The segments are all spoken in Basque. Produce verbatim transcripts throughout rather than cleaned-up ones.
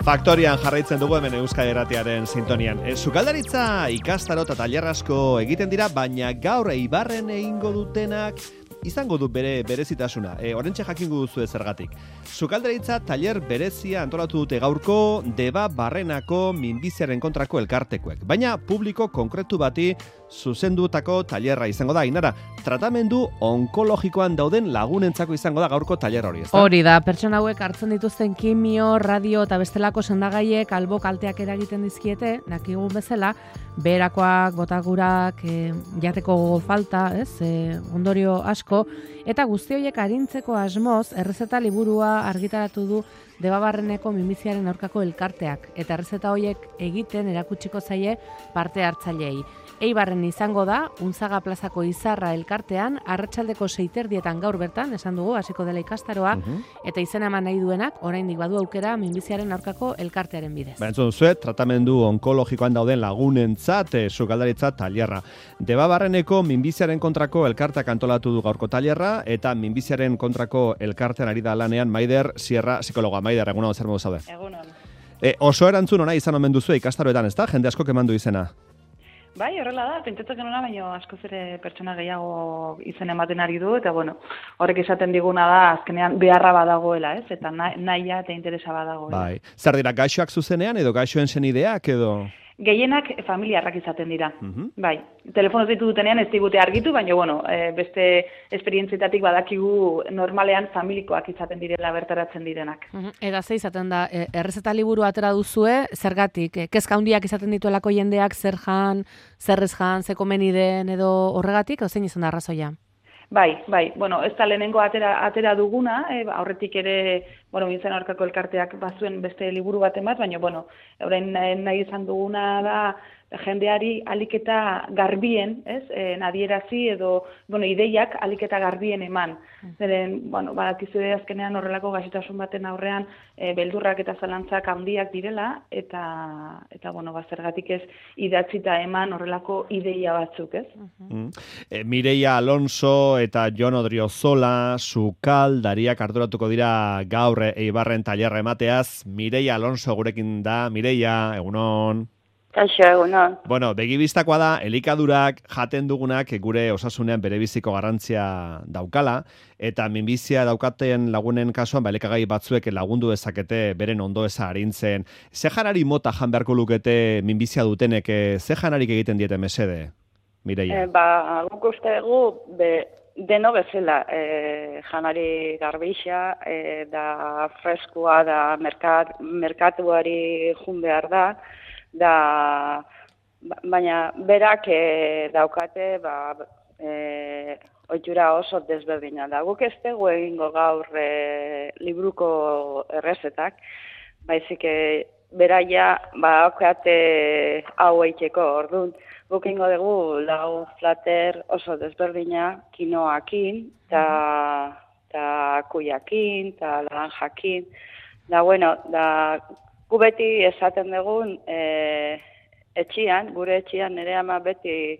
Faktorian jarraitzen dugu hemen Euskadi Irratiaren sintonian. E, sukaldaritza ikastaro eta tailer asko egiten dira, baina gaur Eibarren egingo dutenak izango du bere berezitasuna. E, Orentxe jakingo duzu zergatik. Sukaldaritza tailer berezia antolatu dute gaurko Deba Barrenako minbiziaren kontrako elkartekoek. Baina publiko konkretu bati zuzendutako tailerra izango da. Ainara, tratamendu onkologikoan dauden lagunentzako izango da gaurko tailer hori, ezta? Hori da, pertsona hauek hartzen dituzten kimio, radio eta bestelako sendagaiek albo kalteak eragiten dizkiete, dakigun bezala, beherakoak, botagurak, e, jateko falta, ez, e, ondorio asko, eta guzti horiek arintzeko asmoz, errezeta liburua argitaratu du Debabarreneko minbiziaren aurkako elkarteak, eta errezeta horiek egiten erakutsiko zaie parte hartzaileei. Eibarren izango da, Unzaga plazako Izarra elkartean, arratsaldeko seiterdietan gaur bertan, esan dugu, hasiko dela ikastaroa, uh-huh. eta izena eman nahi duenak, oraindik badu aukera minbiziaren aurkako elkartearen bidez. Ba, entzun zue, tratamendu onkologikoan dauden lagunentzat, e, sukaldaritza tailerra. Debabarreneko minbiziaren kontrako elkarteak antolatu du gaurko tailerra, eta minbiziaren kontrako elkartean ari da lanean Maider Sierra psikologa. Maider, egunon zer modu zaude? Egunon. E, oso erantzun ona izan omen duzu ikastaroetan, ezta? Jende asko eman du izena. Bai, horrela da, pentsatzen genuna, baina askoz ere pertsona gehiago izen ematen ari du, eta bueno, horrek esaten diguna da, azkenean beharra badagoela, ez? Eta nahia eta interesa badagoela. Bai, zer dira, gaixoak zuzenean edo gaixoen senideak edo... Gehienak familiarrak izaten dira, uh-huh. bai. Telefonoz ditu dutenean ez digute argitu, baina bueno, e, beste esperientzietatik badakigu normalean familikoak izaten direla bertaratzen direnak. Uh-huh. Eta ze izaten da, e, errezeta liburu atera duzue, zergatik, e, kezka handiak izaten dituelako jendeak, zer jan, zer ez jan, ze komeni den edo horregatik, edo zein izan da arrazoia? Bai, bai, bueno, ez da lehenengo atera, atera duguna, e, aurretik ere, bueno, mintzen aurkako elkarteak bazuen beste liburu bat emat, baina, bueno, orain nahi izan duguna da, jendeari aliketa garbien, ez, e, nadierazi edo, bueno, ideiak aliketa garbien eman. Zeren, bueno, badakizue azkenean horrelako gaixotasun baten aurrean, e, beldurrak eta zalantzak handiak direla, eta, eta bueno, bazergatik ez idatzita eman horrelako ideia batzuk, ez? Uh-huh. e, Mireia Alonso eta Jon Odriozola, sukaldariak arduratuko dira gaur Eibarren tailerra emateaz. Mireia Alonso gurekin da. Mireia, egunon. Kaixo, egunon. Bueno, begibistakoa da, elikadurak jaten dugunak gure osasunean berebiziko garrantzia daukala, eta minbizia daukaten lagunen kasuan, ba, elikagai batzuek lagundu dezakete beren ondoeza arintzen. Ze janari mota jan beharko lukete minbizia dutenek, ze janarik egiten diete mesede, Mireia? E, ba, guk uste dugu, be, deno bezala, e, janari garbixa, e, da freskua, da merkat, merkatuari jun behar da, da, baina berak e, daukate ba, e, ohitura oso desberdina da. Guk ez dugu egingo gaur e, libruko errezetak, baizik e, beraia ba, okate hau eiteko orduan. Guk egingo dugu lau flater oso desberdina kinoakin, eta ta kuiakin, eta laranjakin. Da, bueno, da... Gu beti esaten dugun, e, etxian, gure etxian nire ama beti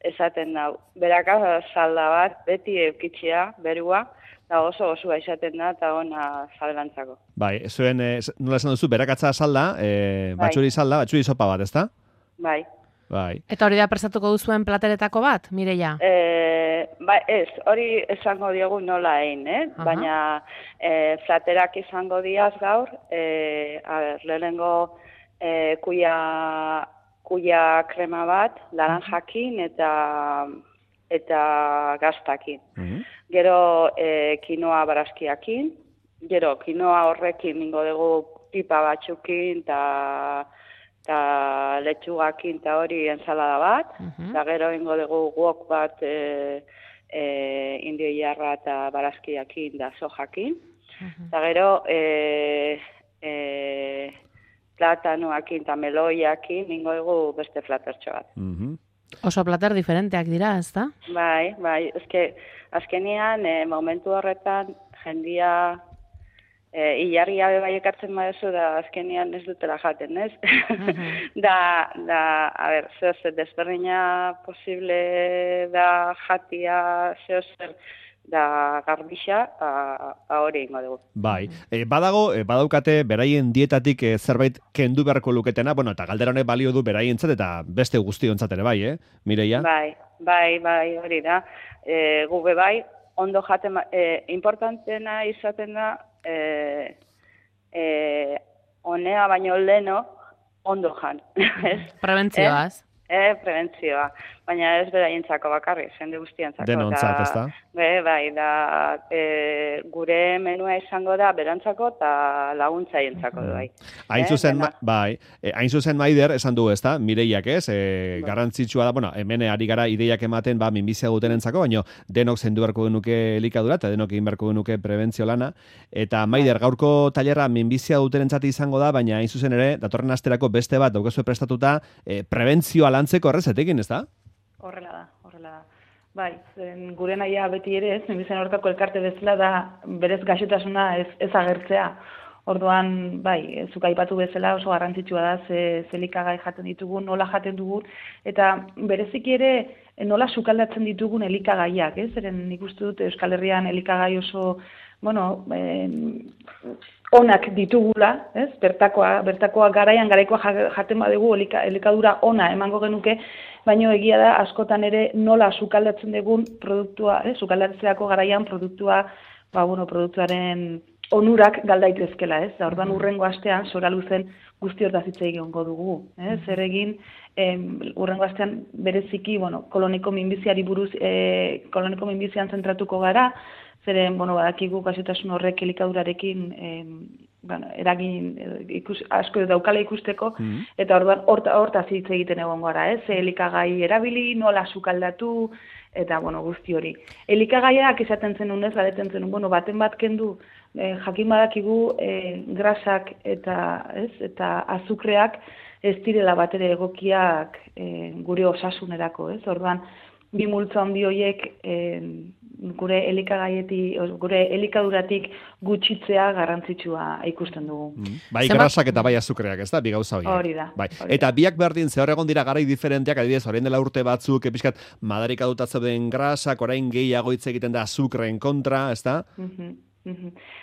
esaten da, beraka salda bat, beti eukitxia, berua, da oso osua esaten da, eta ona saldantzako. Bai, zuen, e, nola esan duzu, berakatza salda, e, bai. Batxuri salda, batxuri sopa bat, ezta? Bai. Bai. Eta hori da prestatuko duzuen plateretako bat, Mireia? E, ba, ez, hori esango diogu nola egin, eh? Uh-huh. Baina e, platerak izango diaz gaur, e, a ber, lehenengo e, kuia, kuia krema bat, laranjakin eta eta gaztakin. Uh-huh. Gero e, kinoa barazkiakin, gero kinoa horrekin ningo dugu pipa batzukin eta eta letxugakin eta hori ensalada bat, eta uh-huh. gero ingo dugu guok bat e, e, indio jarra eta barazkiakin da sojakin, eta uh-huh. gero e, e, platanoakin eta meloiakin ingo dugu beste flatertxo bat. Uh-huh. Oso plater diferenteak dira, ez da? Bai, bai, ezke azkenean e, momentu horretan jendia E, Ilargia bai ekartzen badezu da azkenean ez dutela jaten, ez? Uh-huh. da, da, a ber, zeozer desberdina posible da jatia zeozer da garbixa, ba hori ingo dugu. Bai, e, badago, e, badaukate beraien dietatik e, zerbait kendu beharko luketena, bueno, eta galdera honek balio du beraientzat eta beste guztiontzat ere bai, eh, Mireia? Bai, bai, bai, hori da. E, gube bai, ondo jaten, e, importantena izaten da, e, e, honea baino leno, ondo jan. Prebentzioaz. E, prebentzioa, baina ez beraientzako bakarrik, jende guztientzako. Denontzat, ez da? Be, bai, da, e, gure menua izango da berantzako eta laguntzaientzako du, bai. Hain Eh, zuzen, dena. bai, e, hain zuzen Maider, esan du, ez da, Mireiak ez, e, garrantzitsua da, bueno, hemen ari gara ideiak ematen, ba, minbizia dutenentzako, baina denok zendu beharko genuke elikadura, eta denok egin beharko genuke prebentzio lana, eta Maider, gaurko tailerra minbizia dutenentzat izango da, baina hain zuzen ere, datorren asterako beste bat, daukezue prestatuta, e, prebentzioa lantzeko errezetekin, ez da? Horrela da, horrela da. Bai, zen gure nahia beti ere ez, minbizien aurkako elkarte bezala da berez gaixotasuna ez, ez agertzea. Orduan, bai, zuk aipatu bezala oso garrantzitsua da, ze, ze elikagai jaten ditugun, nola jaten dugun, eta bereziki ere nola sukaldatzen ditugun elikagaiak, ez? Zeren nik uste dut Euskal Herrian elikagai oso, bueno, eh, onak ditugula, ez? Bertakoa, bertakoa garaian garaikoa jaten badugu elika, elikadura ona emango genuke, baino egia da askotan ere nola sukaldatzen dugun produktua, eh? Sukaldatzeako garaian produktua, ba, bueno, produktuaren onurak galdaitezkela, ez? Da, orduan urrengo astean, sora luzen guzti hortaz hitz egingo dugu, eh? Zer egin, em, urrengo astean bereziki, bueno, koloniko minbiziari buruz, eh, koloniko minbizian zentratuko gara, zeren, bueno, badakigu gaixotasun horrek elikadurarekin em, bueno, eragin ikus, asko daukala ikusteko, mm-hmm. eta orduan horta, hortaz hitz egiten egon gara, ez? Elikagai erabili, nola sukaldatu, eta, bueno, guzti hori. Elikagaiak izaten zenun ez, galeten zenun, bueno, baten bat kendu, eh, jakin badakigu eh, grasak eta, ez, eta azukreak ez direla batere egokiak eh, gure osasunerako, ez? Orduan, bi multzo handi horiek eh, gure elikagaietik, gure elikaduratik gutxitzea garrantzitsua ikusten dugu. Mm. Bai grasak eta bai azukreak, ez da, bi gauza horiek. Hori da. Bai. Hori eta biak berdin zehor egon dira garai diferenteak, adibidez, orain dela urte batzuk, epizkat, madarika dutatzen grasak, orain gehiago hitz egiten da azukreen kontra, ez da? Mhm.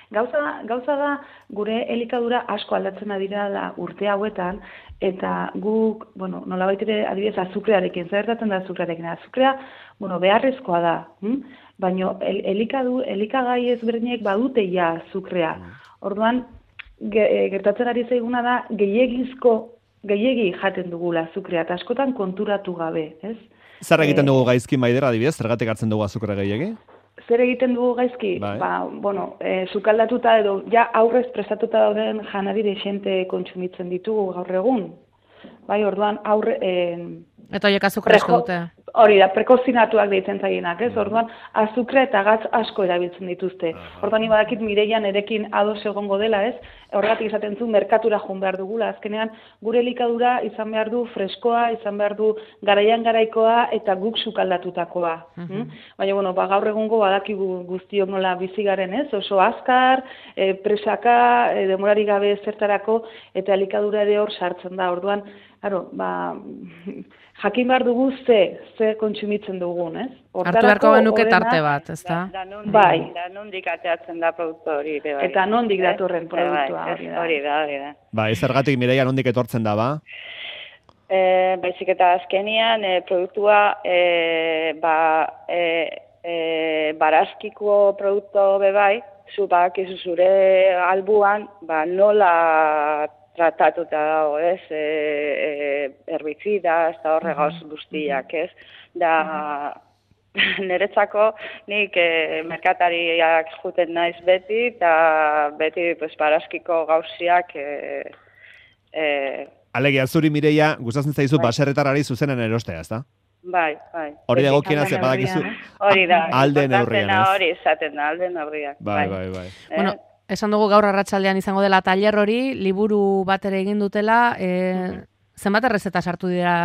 Gauza, gauza da gure elikadura asko aldatzen dira da urte hauetan, eta guk, bueno, nolabait ere adibidez azukrearekin, zer gertatzen da azukrearekin? Azukrea, bueno, beharrezkoa da, hm? Baina el, elikadu, elikagai ezberdinek badute ja azukrea. Orduan, ge, gertatzen ari zaiguna da gehiegizko, gehiegi jaten dugula azukrea, eta askotan konturatu gabe, ez? Zer egiten dugu gaizki Maider, adibidez, zergatik hartzen dugu azukrea gehiegi? Zer egiten dugu gaizki? Bai. Ba, bueno, e, sukaldatuta edo ja aurrez prestatuta dauden janari dexente kontsumitzen ditugu gaur egun. Bai, orduan aurre... E, eta horiek azukre asko dute. Hori da, prekozinatuak deitzen zaienak, ez? Orduan, azukre eta gatz asko erabiltzen dituzte. Orduan, ibadakit Mireian erekin ados egongo dela, ez? Horregatik izaten zu, merkatura joan behar dugula. Azkenean, gure elikadura izan behar du freskoa, izan behar du garaian garaikoa eta guk sukaldatutakoa. Uh-huh. Baina, bueno, ba, gaur egungo badakigu guztiok nola bizi garen, ez? Oso azkar, e, presaka, e, demorari gabe zertarako, eta elikadura ere hor sartzen da. Orduan, claro, ba, jakin behar dugu ze, ze kontsumitzen dugun, ez? Hartu beharko genuke tarte bat, ez da? Da, da nondik, bai. Da nondik ateatzen da produktu hori. Bai. Eta nondik datorren produktua bai, hori da. Hori da, hori da. Ba, ez zergatik Mireia nondik etortzen da, ba? E, baizik eta azkenian e, produktua e, ba, e, e, barazkiko produktu bebai, zu bakizu zure albuan, ba, nola tratatuta dago, ez, e, e, herbizida, ez da horregauz guztiak, ez, da, niretzako nik e, merkatariak juten naiz beti, eta beti pues, barazkiko gauziak e, e, Alegia, zuri Mireia, gustatzen zaizu bai. baserretarari zuzenen erostea, ez da? Bai, bai. Hori dago kiena ze badakizu. Hori da. Alde neurrian, ez? Hori izaten da, alde neurriak. Bai, bai, bai. Eh? Bueno, esan dugu gaur arratsaldean izango dela tailer hori, liburu bat ere egin dutela, e, zenbat errezeta sartu dira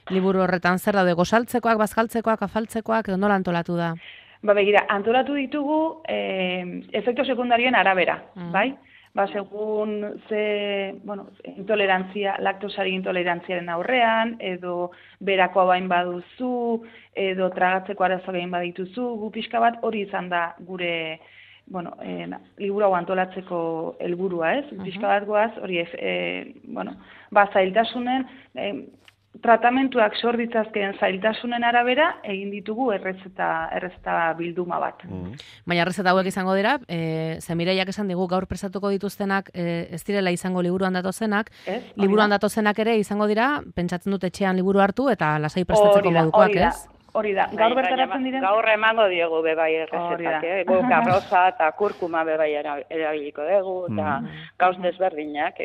liburu horretan, zer daude, gosaltzekoak, bazkaltzekoak, afaltzekoak, edo nola antolatu da? Ba, begira, antolatu ditugu eh, efektu sekundarioen arabera, mm. bai? ba, segun ze, bueno, intolerantzia, laktosari intolerantziaren aurrean, edo berako bain baduzu, edo tragatzeko arazo gain badituzu, gu pixka bat hori izan da gure, bueno, eh, liburu hau antolatzeko helburua, ez? Uh-huh. Pixka bat goaz, hori, eh, bueno, ba, zailtasunen, eh, tratamentuak sor ditzazkeen zailtasunen arabera egin ditugu errezeta, errezeta bilduma bat. Mm. Baina errezeta hauek izango dira, e, ze Mireiak esan digu gaur prestatuko dituztenak e, ez direla izango liburuan datozenak, ez? Liburuan datozenak ere izango dira, pentsatzen dut etxean liburu hartu eta lasai prestatzeko modukoak, ez? Hori da, gaur bertaratzen diren... Gaur emango diegu bebai errezetak, eh? Gu garroza eta kurkuma bebai erabiliko dugu, eta mm. gauz desberdinak.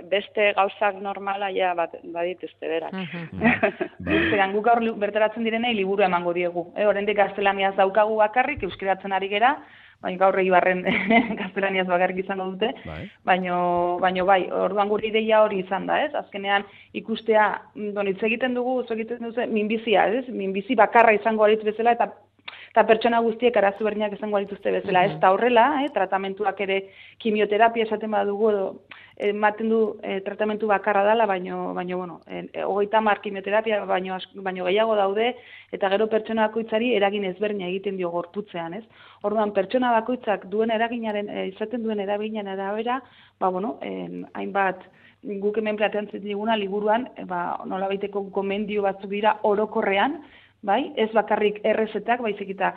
Beste gauzak normala ja bat, badituzte berak. Zeran, gu gaur bertaratzen direnei liburu emango diegu. E, Horendik gaztelaniaz daukagu bakarrik, euskeratzen ari gera, baina gaur Eibarren gaztelaniaz bakarrik izango dute, baino, baino bai, orduan gure ideia hori izan da, ez? Azkenean ikustea, donitz egiten dugu, zo egiten duzu, minbizia, ez? Minbizi bakarra izango aritz bezala, eta eta pertsona guztiek arazo berdinak izango dituzte bezala, ez da horrela, eh, tratamentuak ere kimioterapia esaten badugu edo ematen du eh, tratamentu bakarra dela, baino baino bueno, hogeita hamar kimioterapia baino baino gehiago daude eta gero pertsona bakoitzari eragin ezberdina egiten dio gorputzean, ez? Orduan pertsona bakoitzak duen eraginaren eh, izaten duen eraginaren arabera, ba bueno, eh, hainbat guk hemen planteatzen diguna liburuan, eh, ba nolabaiteko gomendio batzuk dira orokorrean, bai, ez bakarrik errezetak, baizik eta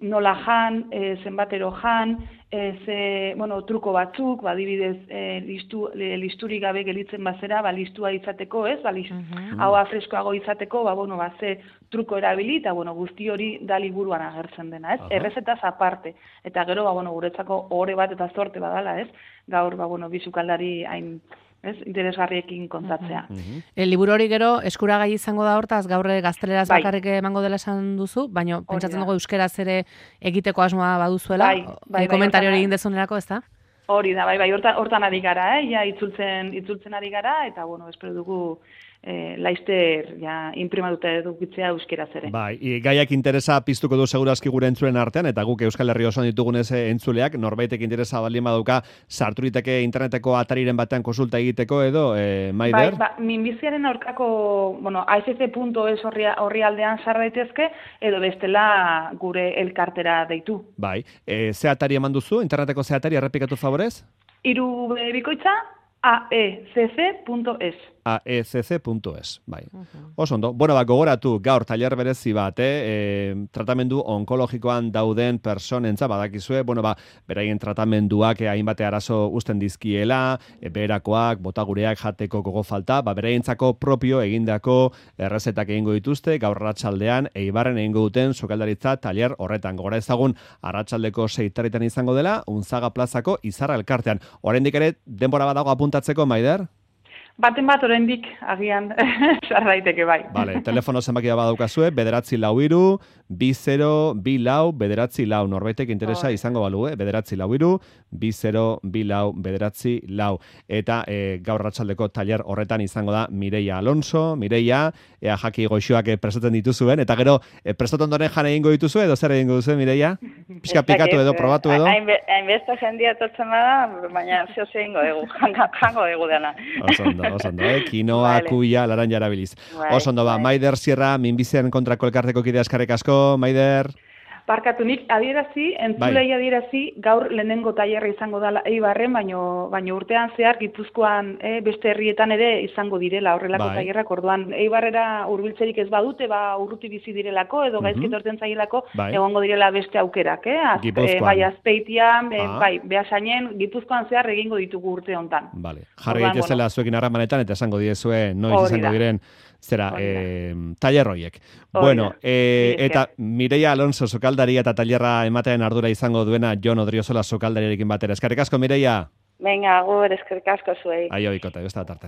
nola jan, e, zenbatero jan, e, ze, bueno, truko batzuk, badibidez, e, listu, listurik gabe gelitzen bazera, ba, listua izateko, ez, ba, listu, uh-huh. hau freskoago izateko, ba, bueno, ba, ze truko erabili, eta, bueno, guzti hori da liburuan agertzen dena, ez, uh-huh. errezetaz aparte, eta gero, ba, bueno, guretzako ohore bat eta zorte badala, ez, gaur, ba, bueno, bizukaldari hain, ez, interesgarriekin kontatzea. Uh-huh. El liburu hori gero eskuragai izango da hortaz, gaur gazteleraz bai. Bakarrik emango dela esan duzu, baina pentsatzen dugu euskeraz ere egiteko asmoa baduzuela, bai, bai, bai, komentario hori egin dezunerako, ez da? Hori da, bai, bai, hortan, hortan ari gara, eh? Ja, itzultzen, itzultzen ari gara, eta, bueno, espero dugu eh, laizter ja, imprimatuta edukitzea euskeraz ere. Bai, gaiak interesa piztuko du segurazki gure entzulen artean, eta guk Euskal Herri osoan ditugunez entzuleak, norbaitek interesa baldin badauka sarturiteke interneteko atariren batean konsulta egiteko edo, eh, Maider? Bai, ba, minbiziaren aurkako, bueno, a f c punto es horri aldean sar daitezke, edo bestela gure elkartera deitu. Bai, e, ze atari eman duzu, interneteko ze atari, errepikatu favorez? Hiru bikoitza, a e c c punto es. a e c c punto es, bai. Uh-huh. Oso ondo. Bueno, ba, gogoratu, gaur tailer berezi bat, eh? E, tratamendu onkologikoan dauden personentza badakizue, bueno, ba, beraien tratamenduak eh, hainbate arazo uzten dizkiela, e, beherakoak, botagureak jateko gogo falta, ba, beraientzako propio egindako errezetak egingo dituzte, gaur arratsaldean Eibarren egingo duten sukaldaritza tailer horretan. Gora ezagun arratsaldeko seitaritan izango dela, Unzaga plazako Izarra elkartean. Oraindik ere denbora badago apuntatzeko, Maider? Baten bat oraindik agian sar daiteke bai. Vale, telefono zenbakia badaukazue, bederatzi lau hiru, bi zero, bi lau, bederatzi lau. Norbaitek interesa oh. izango balu, eh? Bederatzi lau hiru, bi zero, bi lau, bederatzi lau. Eta e, gaur arratsaldeko tailer horretan izango da Mireia Alonso, Mireia, ea jaki goixoak prestatzen dituzuen, eta gero e, prestatu ondoren jan egingo dituzu edo zer egingo duzu, Mireia? Pixka pikatu edo, probatu edo? Hainbeste jendia totzen bada, baina zeo egingo dugu, jango dugu dena. Osondo, osondo, eh? Kinoa, vale. Kuia, laran jarabiliz. Vale, osondo, ba, vale. Maider Sierra, minbizian kontrako elkarteko kidea eskarrik asko, Maider. Barkatu nik adierazi, entzulei bai. adierazi, gaur lehenengo tailerra izango dela Eibarren, baino, baino urtean zehar Gipuzkoan eh, beste herrietan ere izango direla horrelako bai. tailerrak, orduan Eibarrera hurbiltzerik ez badute, ba urruti bizi direlako edo uh-huh. gaizki torten zailako bai. egongo direla beste aukerak, eh? Az, eh bai Azpeitian, eh, ah. bai Beasainen, Gipuzkoan zehar egingo ditugu urte hontan. Vale. Jarri daitezela bueno. zuekin harremanetan eta esango diezue noiz izango diren zera, eh, tailer horiek. Bueno, eh, eta Mireia Alonso sukaldari eta tailerra ematean ardura izango duena Jon Odriozola sukaldariarekin batera. Eskerrik asko, Mireia. Venga, agur, eskerrik asko zuei. Aio, ikota, besta tarte.